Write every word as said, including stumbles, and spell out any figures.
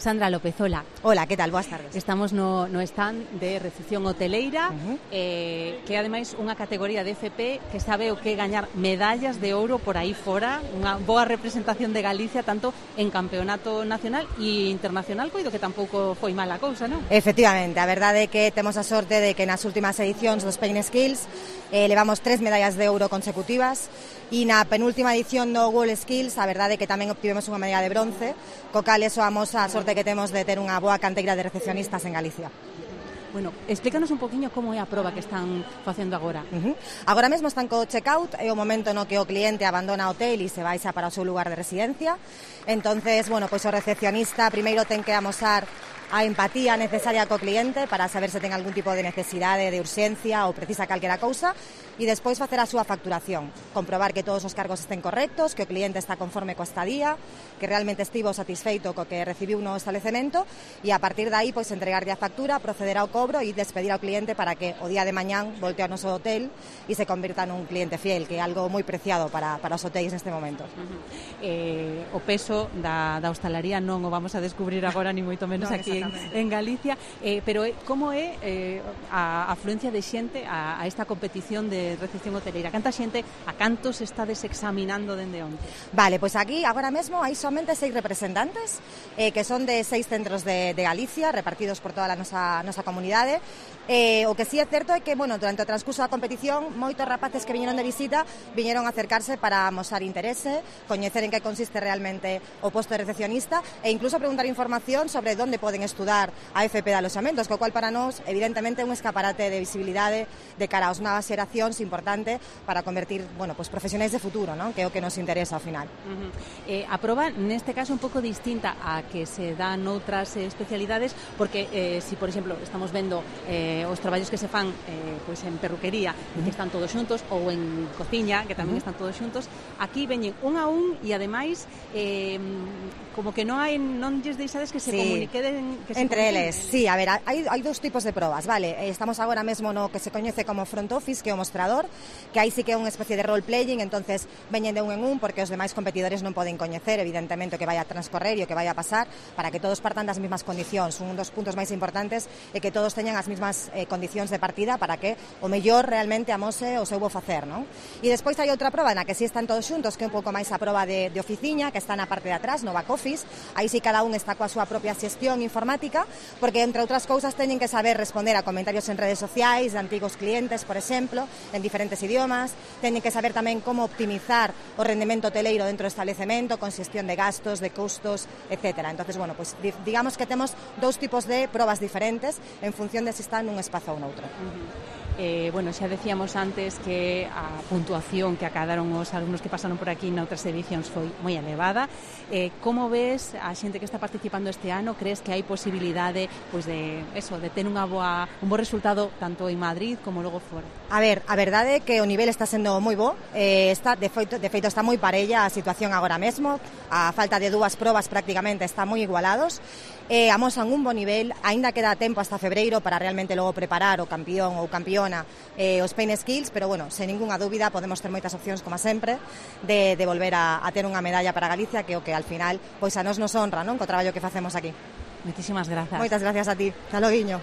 Sandra López, hola. Hola, que tal? Boas tardes. Estamos no, no stand de recepción hoteleira, uh-huh. eh, que ademais unha categoría de F P que sabe o que gañar medallas de ouro por aí fora, unha boa representación de Galicia tanto en campeonato nacional e internacional, coido que tampouco foi mala cousa, non? Efectivamente, a verdade é que temos a sorte de que nas últimas edicións dos Spain Skills eh, levamos tres medallas de ouro consecutivas e na penúltima edición do World Skills a verdade é que tamén obtivemos unha medalla de bronce, co cal eso amos a sorte que temos de ter unha boa canteira de recepcionistas en Galicia. Bueno, explícanos un poquinho como é a proba que están facendo agora. Uh-huh. Agora mesmo están co checkout, é o momento no que o cliente abandona o hotel e se vai xa para o seu lugar de residencia. Entonces, bueno, pois o recepcionista primeiro ten que amosar a empatía necesaria co cliente para saber se ten algún tipo de necesidade de urxencia ou precisa calquera cousa e despois facer a súa facturación, comprobar que todos os cargos estén correctos, que o cliente está conforme coa estadía, que realmente estivo satisfeito co que recibiu no establecemento e a partir de aí pois entregarlle a factura, proceder ao cobro e despedir ao cliente para que o día de mañán volte ao noso hotel e se convirta nun cliente fiel, que é algo moi preciado para, para os hotéis neste momento. Uh-huh. eh, o peso da, da hostalaría non o vamos a descubrir agora ni moito menos no, aquí en, en Galicia, eh, pero como é eh, a afluencia de xente a, a esta competición de recepción hoteleira? Canta xente, a cantos estades examinando dende onde? Vale, pois pues aquí agora mesmo hai somente seis representantes eh, que son de seis centros de, de Galicia repartidos por toda a nosa, nosa comunidade. Eh, o que sí é certo é que, bueno, durante o transcurso da competición moitos rapaces que viñeron de visita viñeron a acercarse para amosar interese, coñecer en que consiste realmente o posto de recepcionista e incluso preguntar información sobre onde poden estudar a F P de aloxamentos, co cual para nós evidentemente é un escaparate de visibilidade de cara aos novas xeracións importante para convertir, bueno, pues profesionais de futuro, ¿no? Que é o que nos interesa ao final. Uh-huh. eh, a proba neste caso un pouco distinta a que se dan outras eh, especialidades, porque eh, si por exemplo estamos vendo eh, os traballos que se fan eh, pois en perruquería uh-huh. que están todos xuntos, ou en cociña que tamén uh-huh. están todos xuntos, aquí veñen un a un e ademais eh, como que non hai non lles deixades que se sí. comuniquen que se entre comuniquen. eles, sí, a ver, hai, hai dous tipos de probas, vale, estamos agora mesmo no que se coñece como front office, que é o mostrador, que aí sí que é unha especie de role-playing, entonces veñen de un en un porque os demais competidores non poden coñecer evidentemente o que vai a transcorrer e o que vai a pasar para que todos partan das mesmas condicións. Un dos puntos máis importantes é que todos teñan as mesmas eh, condicións de partida para que o mellor realmente amose o seu bo facer, non? E despois hai outra proba na que sí están todos xuntos, que é un pouco máis a proba de, de oficiña, que está na parte de atrás, no back office. Aí sí cada un está coa súa propia xestión informática, porque entre outras cousas teñen que saber responder a comentarios en redes sociais de antigos clientes, por exemplo, en diferentes idiomas, teñen que saber tamén como optimizar o rendemento hoteleiro dentro do establecemento, con xestión de gastos, de custos, etcétera. Entonces, bueno, pues digamos que temos dous tipos de probas diferentes en función de se está nun espazo ou noutro. Uh-huh. Eh, bueno, xa decíamos antes que a puntuación que acadaron os alumnos que pasaron por aquí noutras edicións foi moi elevada. Eh, como ves a xente que está participando este ano? Crees que hai posibilidade pois de eso, de ter unha boa, un bo resultado tanto en Madrid como logo fora? A ver, a verdade é que o nivel está sendo moi bo, eh, está, de, feito, de feito está moi parella a situación agora mesmo, a falta de dúas probas prácticamente está moi igualados. Eh, amosan un bo nivel, aínda queda tempo hasta febreiro para realmente logo preparar o campeón ou campeona eh, os Spain Skills, pero bueno, sen ningunha dúbida podemos ter moitas opcións, como sempre, de, de volver a, a ter unha medalla para Galicia, que é o que al final pois a nos nos honra, non, co traballo que facemos aquí. Moitísimas grazas. Moitas gracias a ti. Hasta loguiño.